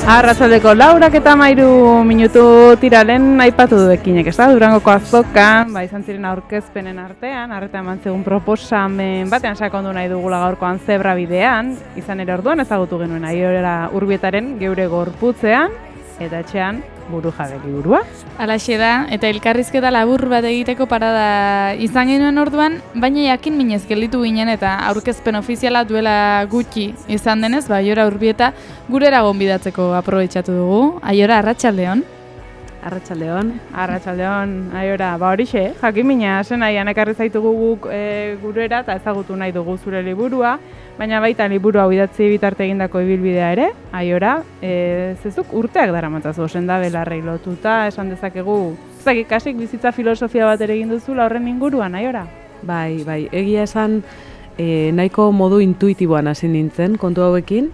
Arratsaldeko 4:13 tiralen aipatu du ekinek, ez da? Durangoko azokan, izan ziren aurkezpenen artean, arreta eman zegun proposamen batean sakondu nahi dugula gaurkoan zebra bidean, izan ere orduan ezagutu genuen Aiora Urbietaren geure gorputzean, eta etxean burujabe liburua. Halaxe da, eta elkarrizketa labur bat egiteko parada izan genuen orduan, baina jakin minez gelditu ginen eta aurkezpen ofiziala duela gutxi izan denez, Aiora Urbieta gurera gonbidatzeko aprobetxatu dugu. Aiora, arratsaldeon. Arratsaldeon, Aiora, horixe, jakin mina, zen nahian ekarri zaitugu guk gurera eta ezagutu nahi dugu zure liburua, baina baita liburu hau idatzi bitarte egindako ibilbidea ere, Aiora, zezuk urteak daramatzazu sendabelarrei lotuta, esan dezakegu, kasik bizitza filosofia bat ere egin duzula horren inguruan, Aiora? Bai, egia esan nahiko modu intuitiboan hasi nintzen kontu hauekin,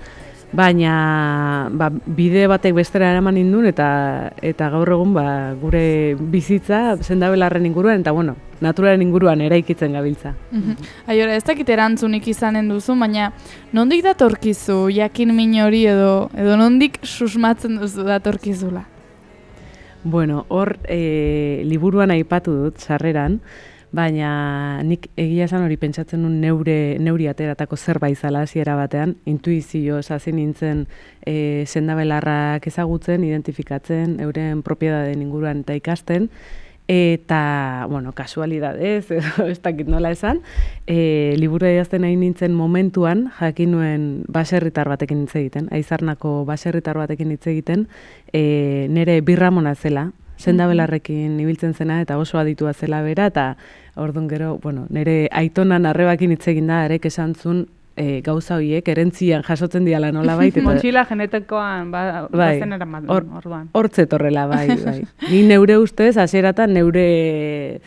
baina bide batek bestera eraman nindun eta gaur egun gure bizitza sendabelarren inguruan eta naturaren inguruan eraikitzen gabiltza. Aiora, ez dakit erantzunik izanen duzu, baina nondik datorkizu jakin min hori edo nondik susmatzen duzu datorkizula? Hor liburuan aipatu dut sarreran, baina nik egia esan hori pentsatzen duen neuri ateratako zerbait zala hasiera batean, intuizio hasi nintzen sendabelarrak ezagutzen, identifikatzen, euren propiedadeen inguruan eta ikasten, eta, kasualidadez, ez dakit nola esan, liburua idazten nahi nintzen momentuan, jakin nuen baserritar batekin hitz egiten, Aizarnako baserritar batekin hitz egiten, nire birramona zela, sendabelarrekin ibiltzen zena eta oso aditua zela bera, eta orduan gero, nire aitonan arrebakin hitz egin da, arek esan zuen gauza horiek erentzian jasotzen diala nola baita. Montxila genetekoan bazen eraman orduan. Hortzet horrela, bai. Ni neure ustez, hasieratan neure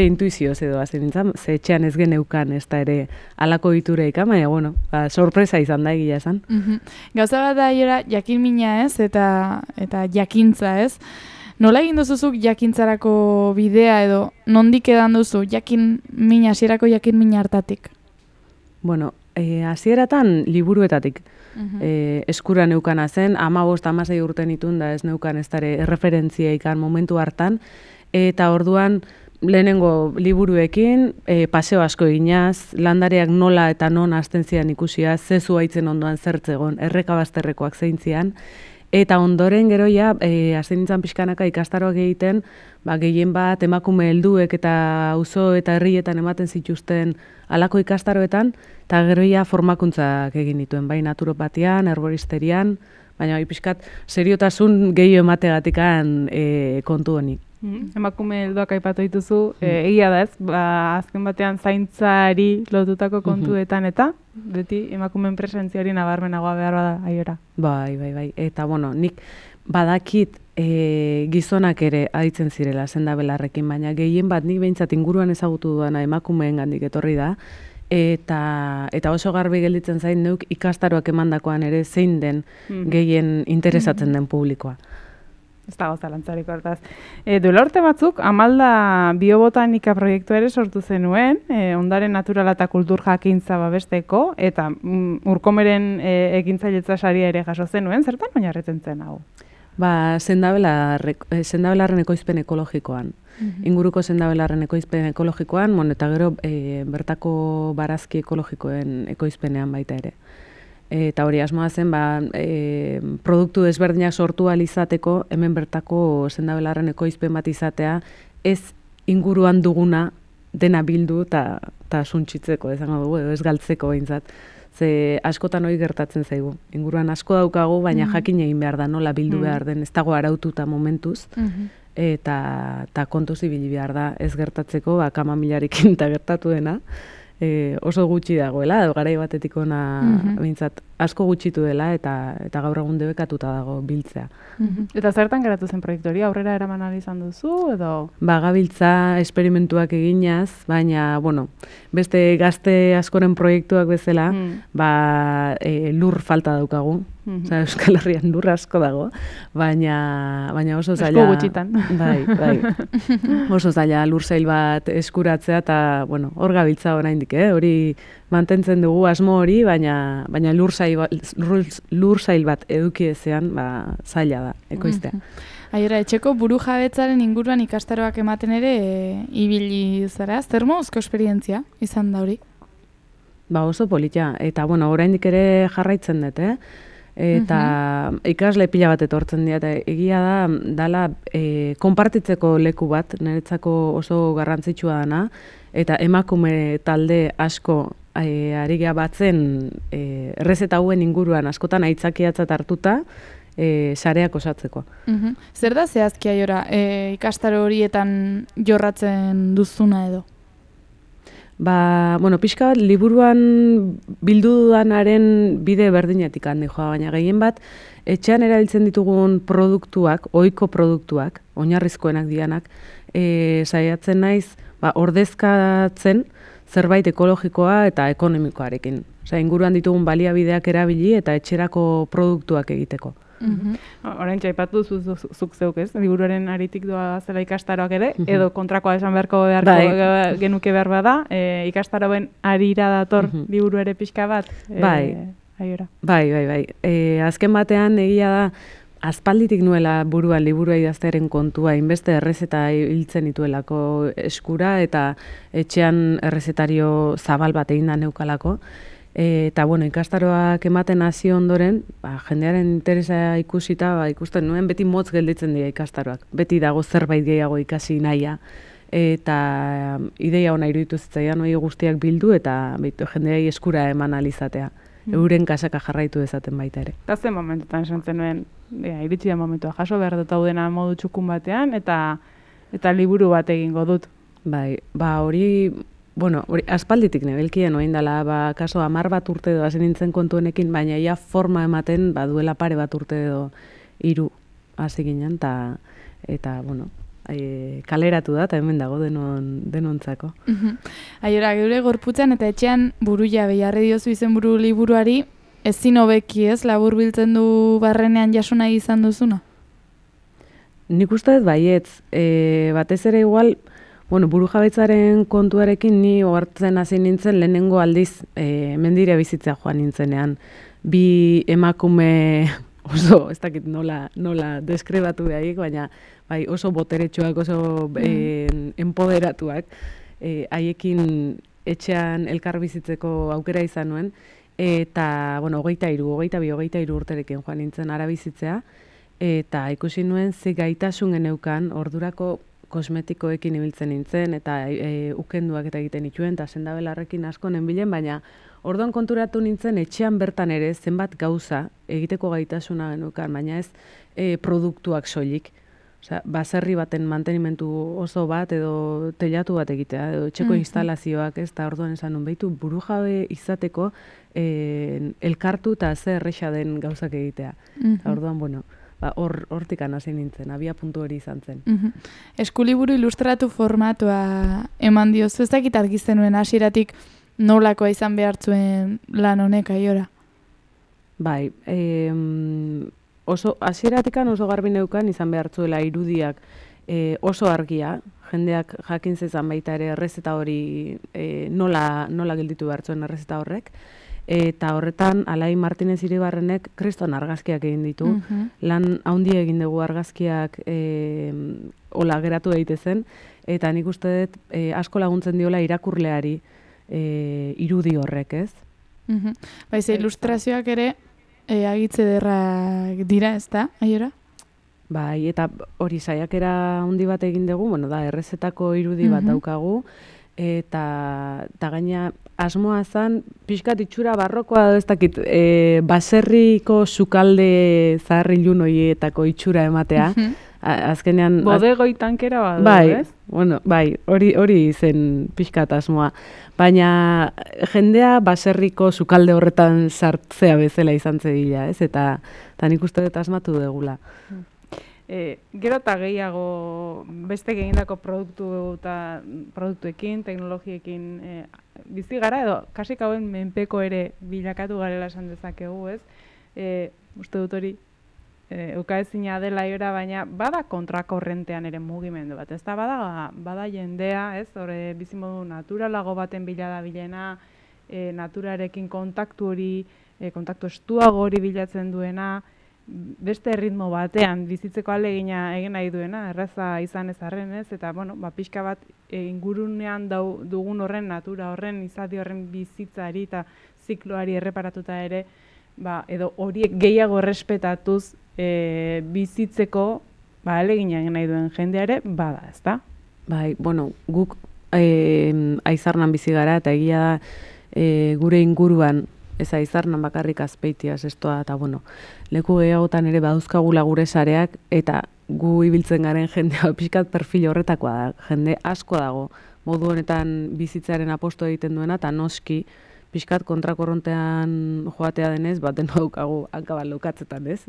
intuizioz edo hazen nintzen, ze etxean ez geneukan ez da ere alako ditureik, baina, sorpresa izan da egia esan. Gauza bat da, Aiora, jakin mina ez, eta jakintza ez. Nola egin duzuzuk jakintzarako bidea edo nondik edan duzu hasierako jakin mina hartatik? Hasieratan liburuetatik eskura neukana zen, 15-16 urte nituen da ez neukan ez dara erreferentzia ikan momentu hartan, eta orduan lehenengo liburuekin paseo asko eginaz, landareak nola eta non hasten zian ikusia, zezu haitzen ondoan zertzegon, errekabazterrekoak zeintzian, eta ondoren gero hasi nintzen pixkanaka ikastaroak egiten, gehien bat emakume helduek eta auzo eta herrietan ematen zituzten halako ikastaroetan, eta gero formakuntzak egin dituen, bai naturopatian, herboristerian, baina pixkat seriotasun gehiago emategatikan kontu honi. Emakume helduak aipatu dituzu, egia da ez, azken batean zaintzari lotutako kontuetan eta beti emakumeen presentzia hori nabarmenagoa behar bada, Aiora. Bai. Eta nik badakit gizonak ere aditzen zirela sendabelarrekin, baina gehien bat nik behintzat inguruan ezagutu duana emakumeen gandik etorri da, eta oso garbi gelditzen zain neuk ikastaroak emandakoan ere zein den gehien interesatzen den publikoa. Ez dago zalantzarik hortaz. Duela urte batzuk, Amalda biobotanika proiektua ere sortu zenuen, ondare naturala eta kultur jakintza babesteko, eta Urkomeren ekintzailetza saria ere jaso zenuen, zertan oinarritzen zen hau? Sendabelarren ekoizpen ekologikoan. Inguruko sendabelarren ekoizpen ekologikoan, eta gero bertako barazki ekologikoen ekoizpenean baita ere. Eta hori asmoa zen, produktu desberdinak sortu ahal izateko, hemen bertako sendabelarren ekoizpen bat izatea, ez inguruan duguna dena bildu eta suntxitzeko, esango dugu, edo ez galtzeko behintzat. Ze askotan hori gertatzen zaigu. Inguruan asko daukagu, baina jakin egin behar da, nola bildu behar den, ez dago araututa momentuz, eta kontuz ibili behar da ez gertatzeko, kamamilarekin eta gertatu dena. Oso gutxi dagoela, edo garai batetik ona behintzat asko gutxitu dela eta gaur egun debekatuta dago biltzea. Eta zertan geratu zen proiektu hori, aurrera eraman ahal izan duzu edo? Gabiltza esperimentuak eginaz, baina, beste gazte askoren proiektuak bezala, lur falta daukagu. Euskal Herrian lur asko dago, baina oso zaila... Asko gutxitan. Bai. Oso zaila lur zail bat eskuratzea eta, hor gabiltza oraindik, hori mantentzen dugu asmo hori, baina lur zail lur zail bat eduki ezean, zaila da, ekoiztea. Aiora, etxeko buru jabetzaren inguruan ikastaroak ematen ere ibili zara, zer moduzko esperientzia izan da hori? Oso politia, eta oraindik ere jarraitzen dut, eta ikasle pila bat etortzen dira, eta egia dala konpartitzeko leku bat, niretzako oso garrantzitsua dana, eta emakume talde asko ari gea batzen errezeta hauen inguruan askotan aitzakiatzat hartuta sareak osatzeko. Zer da zehazki Aiora, ikastaro horietan jorratzen duzuna edo? Pixka bat, liburuan bildu dudanaren bide berdinetik handi joa, baina gehien bat, etxean erabiltzen ditugun produktuak, ohiko produktuak, oinarrizkoenak dianak, saiatzen naiz, ordezkatzen zerbait ekologikoa eta ekonomikoarekin. Inguruan ditugun baliabideak erabili eta etxerako produktuak egiteko. Orain txaipatu zuk zeuk ez, liburuaren aritik doa zela ikastaroak ere, edo kontrakoa esan beharko genuke behar bada, ikastaroen arira dator liburu ere pixka bat? Aiora. Bai. Azken batean egia da, aspalditik nuela buruan liburua idaztearen kontua, inbeste errezeta hiltzen dituelako eskura, eta etxean errezetario zabal bat egin da neukalako. Eta, ikastaroak ematen hasi ondoren, jendearen interesa ikusita, ikusten nuen beti motz gelditzen dira ikastaroak. Beti dago zerbait gehiago ikasi nahia. Eta ideia ona iruditu zitzaidan hori guztiak bildu eta jendeai eskura eman alizatea. Euren kasaka jarraitu dezaten baita ere. Eta zen momentutan esan zenuen, iritsi da momentua, jaso behar dut daudena modu txukun batean, eta liburu bat egingo dut. Hori aspalditik nebelkien oin dela, kaso 10 bat urte edo hasi nintzen kontu honekin, baina ia forma ematen duela pare bat urte edo 3 hasi ginen, eta kaleratu da, eta hemen dago denontzako. Aiora, geure gorputzan eta etxean buru jabe jarri diozu izenburu liburuari, ezin hobeki ez, labur biltzen du barrenean jaso nahi izan duzuna? Nik uste dut baietz, batez ere igual, buru jabetzaren kontuarekin ni ohartzen hasi nintzen lehenengo aldiz mendira bizitzea joan nintzenean. Bi emakume oso, ez dakit nola deskribatu behaik, baina oso boteretsuak, oso empoderatuak, haiekin etxean elkar bizitzeko aukera izan nuen, eta, 22 urterekin joan nintzen ara bizitzea, eta ikusi nuen ze gaitasun geneukan ordurako kosmetikoekin ibiltzen nintzen, eta ukenduak eta egiten nituen, eta sendabelarrekin asko nenbilen, baina orduan konturatu nintzen etxean bertan ere zenbat gauza egiteko gaitasuna geneukan, baina ez produktuak soilik. Baserri baten mantenimentu oso bat edo teilatu bat egitea, edo etxeko instalazioak, ez da orduan esan nun behitu buru jabe izateko elkartu eta ze erresa den gauzak egitea. Orduan, hortik hasi nintzen, abia puntu hori izan zen. Eskuliburu ilustratu formatua eman diozu, ez dakit argi zenuen hasieratik nolakoa izan behartzuen lan honek Aiora? Oso hasieratikan oso garbi neukan izan behartzuela irudiak oso argia, jendeak jakin zezan baita ere errezeta hori nola gelditu behartzuen errezeta horrek, eta horretan Alai Martinez Iribarrenek kriston argazkiak egin ditu, lan handia egin dugu argazkiak hola geratu daitezen, eta nik uste dut asko laguntzen diola irakurleari irudi horrek, ez? Baize ilustrazioak ere agitze derrak dira, ez da, Aiora? Eta hori saiakera handi bat egin dugu, da errezetako irudi bat daukagu, eta gaina asmoa zen, pixkat itxura barrokoa ez dakit, baserriko sukalde zaharrilun horietako itxura ematea. Azkenean... Bodegoi tankera badu, ez? Hori zen pixkat asmoa. Baina jendea baserriko sukalde horretan sartzea bezala izan zedila, ez? Eta nik uste dut asmatu degula. Gero eta gehiago beste egindako produktuekin, teknologiekin bizi gara, edo kasik hauen menpeko ere bilakatu garela esan dezakegu, ez? Uste dut hori ukaezina dela Aiora, baina bada kontrakorrentean ere mugimendu bat, ez da bada jendea, ez? Hore bizimodu naturalago baten bila da bilena, naturarekin kontaktu hori kontaktu estuago hori bilatzen duena, beste ritmo batean bizitzeko ahalegina egin nahi duena, erraza izan ez arren ez, eta bueno, pixka bat ingurunean dugun horren, natura horren, izadi horren bizitzari eta zikloari erreparatuta ere, edo horiek gehiago errespetatuz bizitzeko ahalegina egin nahi duen jendea ere, bada, ezta? Bai, bueno, guk Aizarnan bizi gara, eta egia da gure inguruan, ez Aizarnan bakarrik Azpeitia, Zestoa, eta bueno, leku gehiagotan ere badauzkagula gure sareak, eta gu ibiltzen garen jendea pixkat perfil horretakoa da, jende asko dago, modu honetan bizitzaren aposto egiten duena, eta noski, pixkat kontrakorrontean joatea denez, baten daukagu hankaban lokatzetan, ez?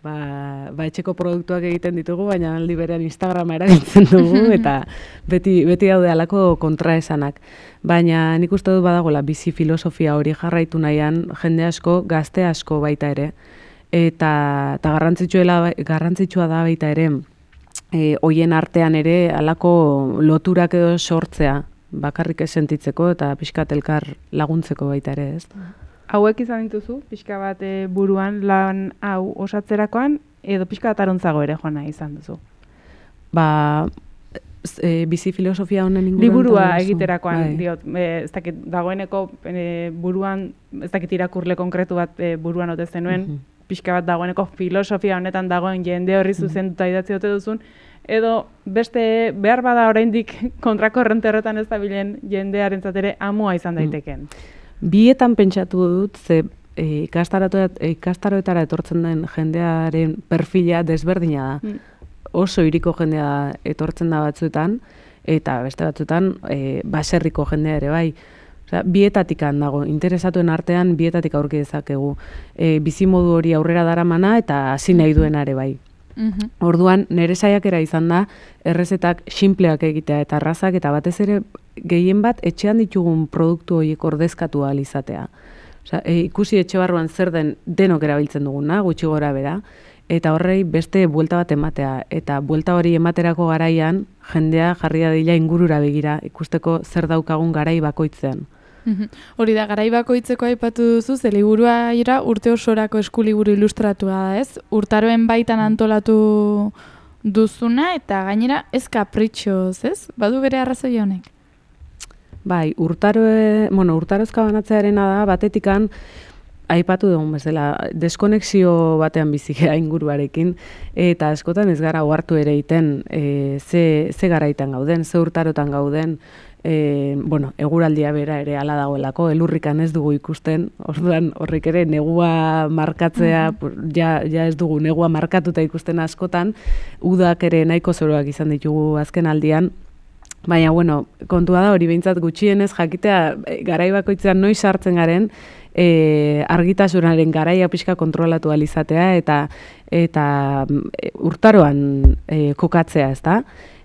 Etxeko produktuak egiten ditugu, baina aldi berean Instagrama erabiltzen dugu, eta beti daude halako kontraesanak. Baina nik uste dut badagoela bizi filosofia hori jarraitu nahian, jende asko, gazte asko baita ere, eta garrantzitsua da baita ere, hoien artean ere halako loturak edo sortzea, bakarrik ez sentitzeko eta pixkat elkar laguntzeko baita ere, ez? Hauek izan dituzu, pixka bat buruan lan hau osatzerakoan, edo pixka bat arontzago ere joana izan duzu? Bizi filosofia honen inguruan... Liburua egiterakoan, diot, ez dakit dagoeneko buruan, ez dakit irakurle konkretu bat buruan ote zenuen, pixka bat dagoeneko filosofia honetan dagoen jende horri zuzenduta idatzi ote duzun, edo beste behar bada oraindik kontrakorrente horretan ez dabilen jendearentzat ere amua izan daiteken. Bietan pentsatu dut, ze ikastaroetara etortzen den jendearen perfila desberdina da. Oso hiriko jendea etortzen da batzuetan, eta beste batzuetan baserriko jendea ere bai. Osea, bietatikan dago, interesatuen artean bietatik aurki dezakegu. Bizimodu hori aurrera daramana eta hasi nahi duena ere bai. Orduan, nire saiakera izan da, errezetak sinpleak egitea eta arrazak, eta batez ere gehien bat etxean ditugun produktu horiek ordezkatu ahal izatea. Osea, ikusi etxe barruan zer den denok erabiltzen duguna, gutxi gora bera, eta horrei beste buelta bat ematea. Eta buelta hori ematerako garaian, jendea jarri dadila ingurura begira, ikusteko zer daukagun garai bakoitzean. Hori da, garai bakoitzeko aipatu duzu, ze liburua urte osorako eskuliburu ilustratua da, ez? Urtaroen baitan antolatu duzuna, eta gainera ez kapritxoz, ez? Badu bere arrazoi honek? Bai, urtarozka banatzearena da, batetikan, aipatu dugun bezala, deskonexio batean bizikea inguruarekin, eta askotan ez gara ohartu ere egiten ze garaitan gauden, ze urtarotan gauden, eguraldia bera ere hala dagoelako, elurrikan ez dugu ikusten, orduan horrek ere negua markatzea, ja ez dugu negua markatuta ikusten askotan, udak ere nahiko zoroak izan ditugu azken aldian, baina kontua da hori behintzat gutxienez jakitea garai bakoitzean noiz sartzen garen, argitasunaren garaia pixka kontrolatu ahal izatea eta urtaroan kokatzea, ezta?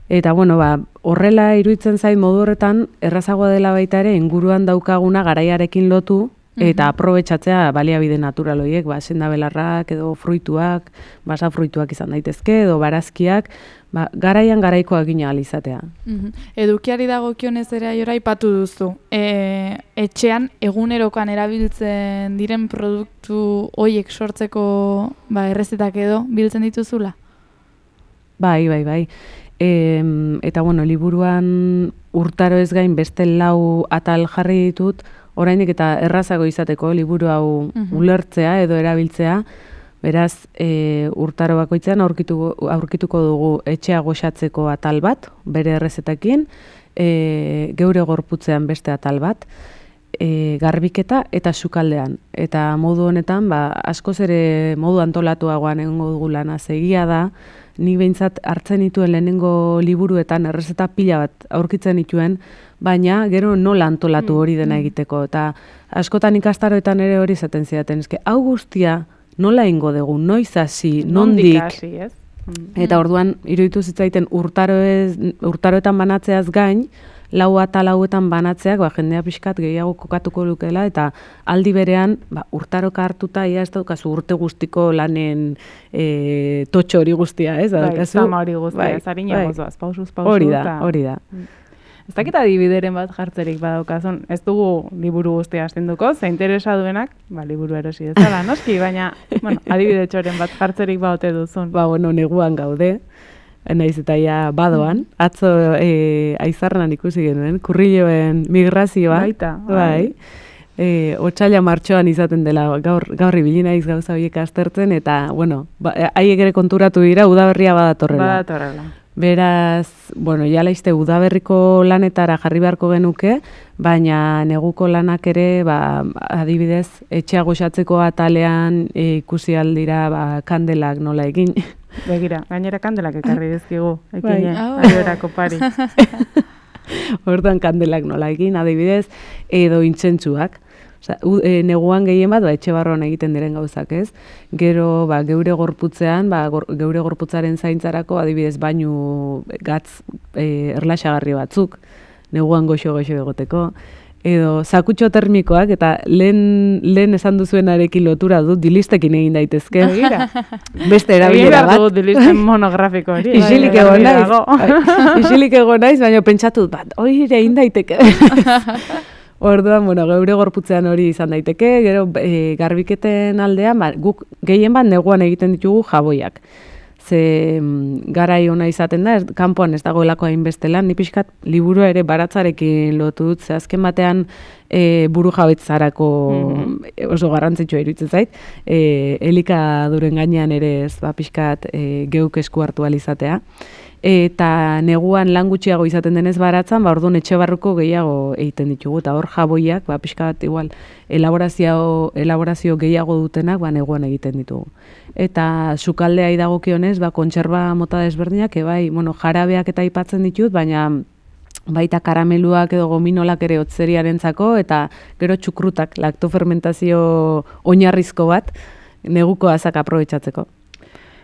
Eta horrela iruditzen zait modu horretan errazagoa dela baita ere inguruan daukaguna garaiarekin lotu eta aprobetxatzea baliabide natural horiek, sendabelarrak edo fruituak, basafruituak izan daitezke edo barazkiak, garaian garaikoak gina ahal izatea. Edukiari dagokionez ere aiora aipatu duzu. Etxean egunerokoan erabiltzen diren produktu horiek sortzeko errezetak edo biltzen dituzula? Bai. Eta liburuan urtaro ez gain beste 4 atal jarri ditut, oraindik eta errazago izateko liburu hau ulertzea edo erabiltzea, beraz urtaro bakoitzean aurkituko dugu etxea goxatzeko atal bat, bere errezetekin, geure gorputzean beste atal bat, garbiketa eta sukaldean. Eta modu honetan, askoz ere modu antolatuagoan egongo dugu lana egia da, nik behintzat hartzen dituen lehenengo liburuetan errezeta pila bat aurkitzen dituen, baina gero nola antolatu hori dena egiteko. Eta askotan ikastaroetan ere hori izaten zidaten, hau guztia nola ingo dugu, noiz hasi, nondik. Eta orduan, iruditu zitzaiten urtaroetan banatzeaz gain, 4 atal hauetan banatzeak jendea pixkat gehiago kokatuko lukela, eta aldi berean urtaroka hartuta ia ez daukazu urte guztiko lanen totxo hori guztia, ez? Zama hori guztia, ez harina gozoaz, pausuz. Hori da. Ez dakit adibideren bat jartzerik badaukazun. Ez dugu liburu guztia astenduko, ze interesa duenak, liburu erosi dezala, noski, baina, adibidetxoren bat jartzerik baote duzun. Neguan gaude, naiz eta ja badoan, atzo aizarran ikusi genuen, kurriloen migrazioa. Baita. Bai. Otsaila martxoan izaten dela gaur ibili naiz gauza horiek aztertzen, eta, haiek ere konturatu dira udaberria badatorrela. Beraz, ja laizte udaberriko lanetara jarri beharko genuke, baina neguko lanak ere, adibidez, etxea goxatzeko atalean ikusi aldira kandelak nola egin. Begira, gainera kandelak ekarri dizkigu, ekine, aierako pari. Hortan kandelak nola egin, adibidez, edo intzentsuak. Neguan gehien bat, etxe barroan egiten diren gauzak, ez? Gero, geure gorputzean, geure gorputzaren zaintzarako, adibidez, bainu gatz erlaxagarri batzuk, neguan goxo egoteko, edo zakutxo termikoak, eta lehen esan duzuenarekin lotura dut, dilistekin egin daitezke. Beste erabilera bat. Egin behar dut dilisten monografiko hori. Isilik egon naiz, baina pentsatu dut, hori egin daiteke. Orduan, geure gorputzean hori izan daiteke, gero garbiketen aldean, guk gehien bat neguan egiten ditugu jaboiak. Ze garai ona izaten da, kanpoan ez dagoelako hainbeste lan, ni pixkat liburua ere baratzarekin lotu dut, ze azken batean buru jabetzarako oso garrantzitsua iruditzen zait, elikaduren gainean ere ez pixkat geuk esku hartu alizatea. Eta neguan lan gutxiago izaten denez baratzan, orduan etxe barruko gehiago egiten ditugu, eta hor jaboiak, pixka bat igual, elaborazio gehiago dutenak, neguan egiten ditugu. Eta sukaldea idagokionez, kontserba mota desberdinak, jarabeak eta aipatzen ditut, baina baita karameluak edo gominolak ere hotzeriarentzako, eta gero txukrutak, laktofermentazio oinarrizko bat, neguko azak aprobetxatzeko.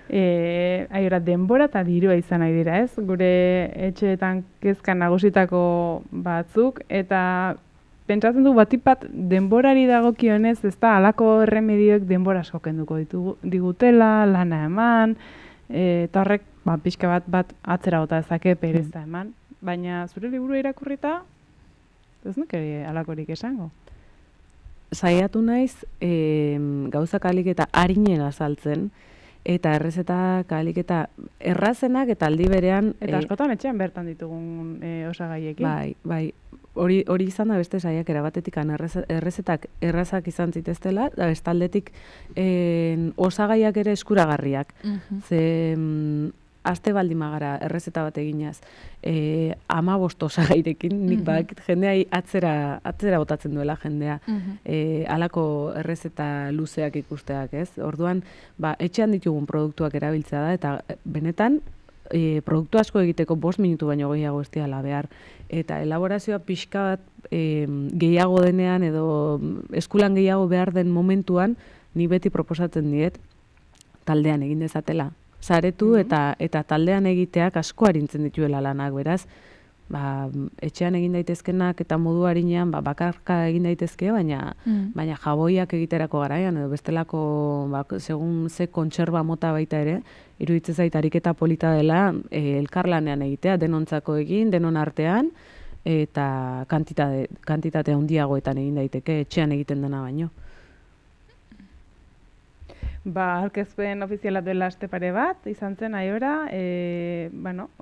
Denbora eta dirua izan nahi dira, ez? Gure etxeetan kezkan nagusitako batzuk, eta pentsatzen du batipat denborari dagokionez, ez da, halako erremedioek denbora asko kenduko digutela, lana eman, eta horrek, pixka bat atzera bota dezake pereza eman, baina zure liburua irakurrita, ez nuk ere halakorik esango. Saiatu naiz, gauzak alik eta harinen azaltzen, eta errezetak alik eta errazenak eta aldi berean... Eta askotan etxean bertan ditugun osagaiekin. Bai. Hori izan da beste saiakera batetik errezetak errazak izan ziteztela, da bestaldetik osagaiak ere eskuragarriak. Ze aste baldin magara errezeta bat eginaz, 15 osagairekin, nik badakit jendea atzera botatzen duela jendea, halako errezeta luzeak ikusteak, ez? Orduan, etxean ditugun produktuak erabiltzea da, eta benetan, produktu asko egiteko 5 minutu baino gehiago ez diala behar. Eta elaborazioa pixka bat gehiago denean edo eskulan gehiago behar den momentuan, ni beti proposatzen diet taldean egin dezatela. Saretu eta taldean egiteak asko arintzen dituela lanak, beraz, etxean egin daitezkenak eta modu harinean bakarka egin daitezke, baina jaboiak egiterako garaian, edo bestelako, segun ze kontserba mota baita ere, iruditzen zait ariketa polita dela elkarlanean egitea, denontzako egin, denon artean, eta kantitate handiagoetan egin daiteke, etxean egiten dena baino. Aurkezpen ofiziala duela aste pare bat, izan zen aiora,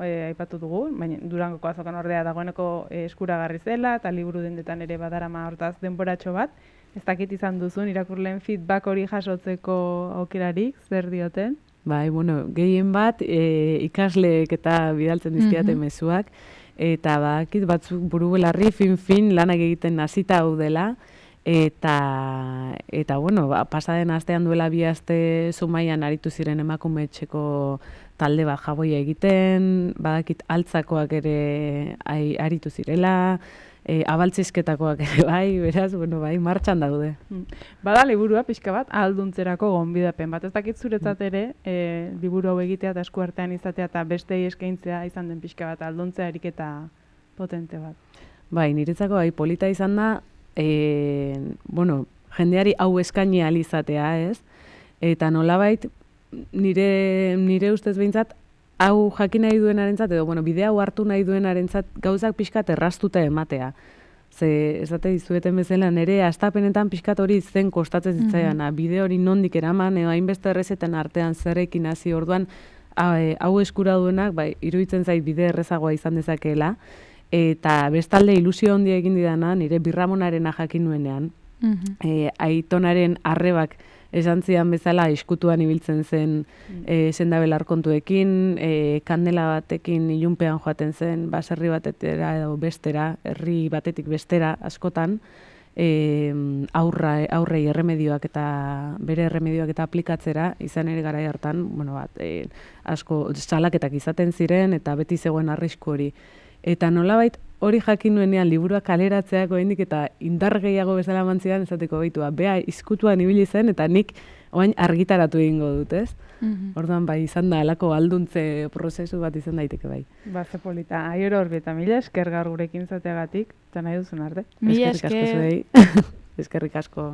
aipatu dugu, baina Durangoko azokan ordea dagoeneko eskuragarri zela, eta liburu dendetan ere badarama hortaz denboratxo bat. Ez dakit izan duzun, irakurleen feedback hori jasotzeko aukerarik, zer dioten? Gehien bat ikasleek eta bidaltzen dizkiate mezuak, eta batzuk buru belarri fin lanak egiten hasita hau dela, eta pasaden astean duela 2 aste Zumaian aritu ziren emakume etxeko talde bat jaboia egiten, badakit altzakoak ere aritu zirela, abaltzizketakoak ere beraz, martxan daude. Bada liburua pixka bat, ahalduntzerako gonbidapen bat. Ez dakit zuretzat ere, liburu hau egitea eta esku artean izatea eta bestei eskaintzea izan den pixka bat, ahalduntzea ariketa potente bat. Niretzako polita izan da, jendeari hau eskaini ahal izatea, ez? Eta nolabait, nire ustez behintzat, hau jakin nahi duenarentzat, edo, bueno, bidea hau hartu nahi duenarentzat gauzak pixkat errastuta ematea. Ze, esate dizueten bezala, nire astapenetan pixkat hori zen kostatzen zitzaiana, bide hori nondik eraman, edo hainbeste errezetan artean zerrekin hasi orduan, hau eskura duenak, bai, iruditzen zait bide errezagoa izan dezakeela, eta bestalde ilusio handia egin didana, nire birramonarena jakin nuenean, aitonaren arrebak esan zidan bezala eskutuan ibiltzen zen Sendabel kontuekin, kandela batekin ilunpean joaten zen, baserri batetera edo bestera, herri batetik bestera askotan, aurrei erremedioak eta bere erremedioak eta aplikatzera, izan ere garai hartan, bueno, asko salaketak izaten ziren eta beti zegoen arrisku hori. Eta nolabait hori jakin nuenean liburua kaleratzeak oraindik eta indar gehiago bezala mantzidan esateko beitua. Bea izkutuan ibili zen eta nik orain argitaratu egingo dut, ez? Orduan bai izan da halako alduntze prozesu bat izan daiteke bai. Ba, ze polita. Aiora Urbieta, mila esker gaur gurekin zateagatik, eta nahi duzun arte. Mila Eskerrik asko esker. zuei. Eskerrik asko.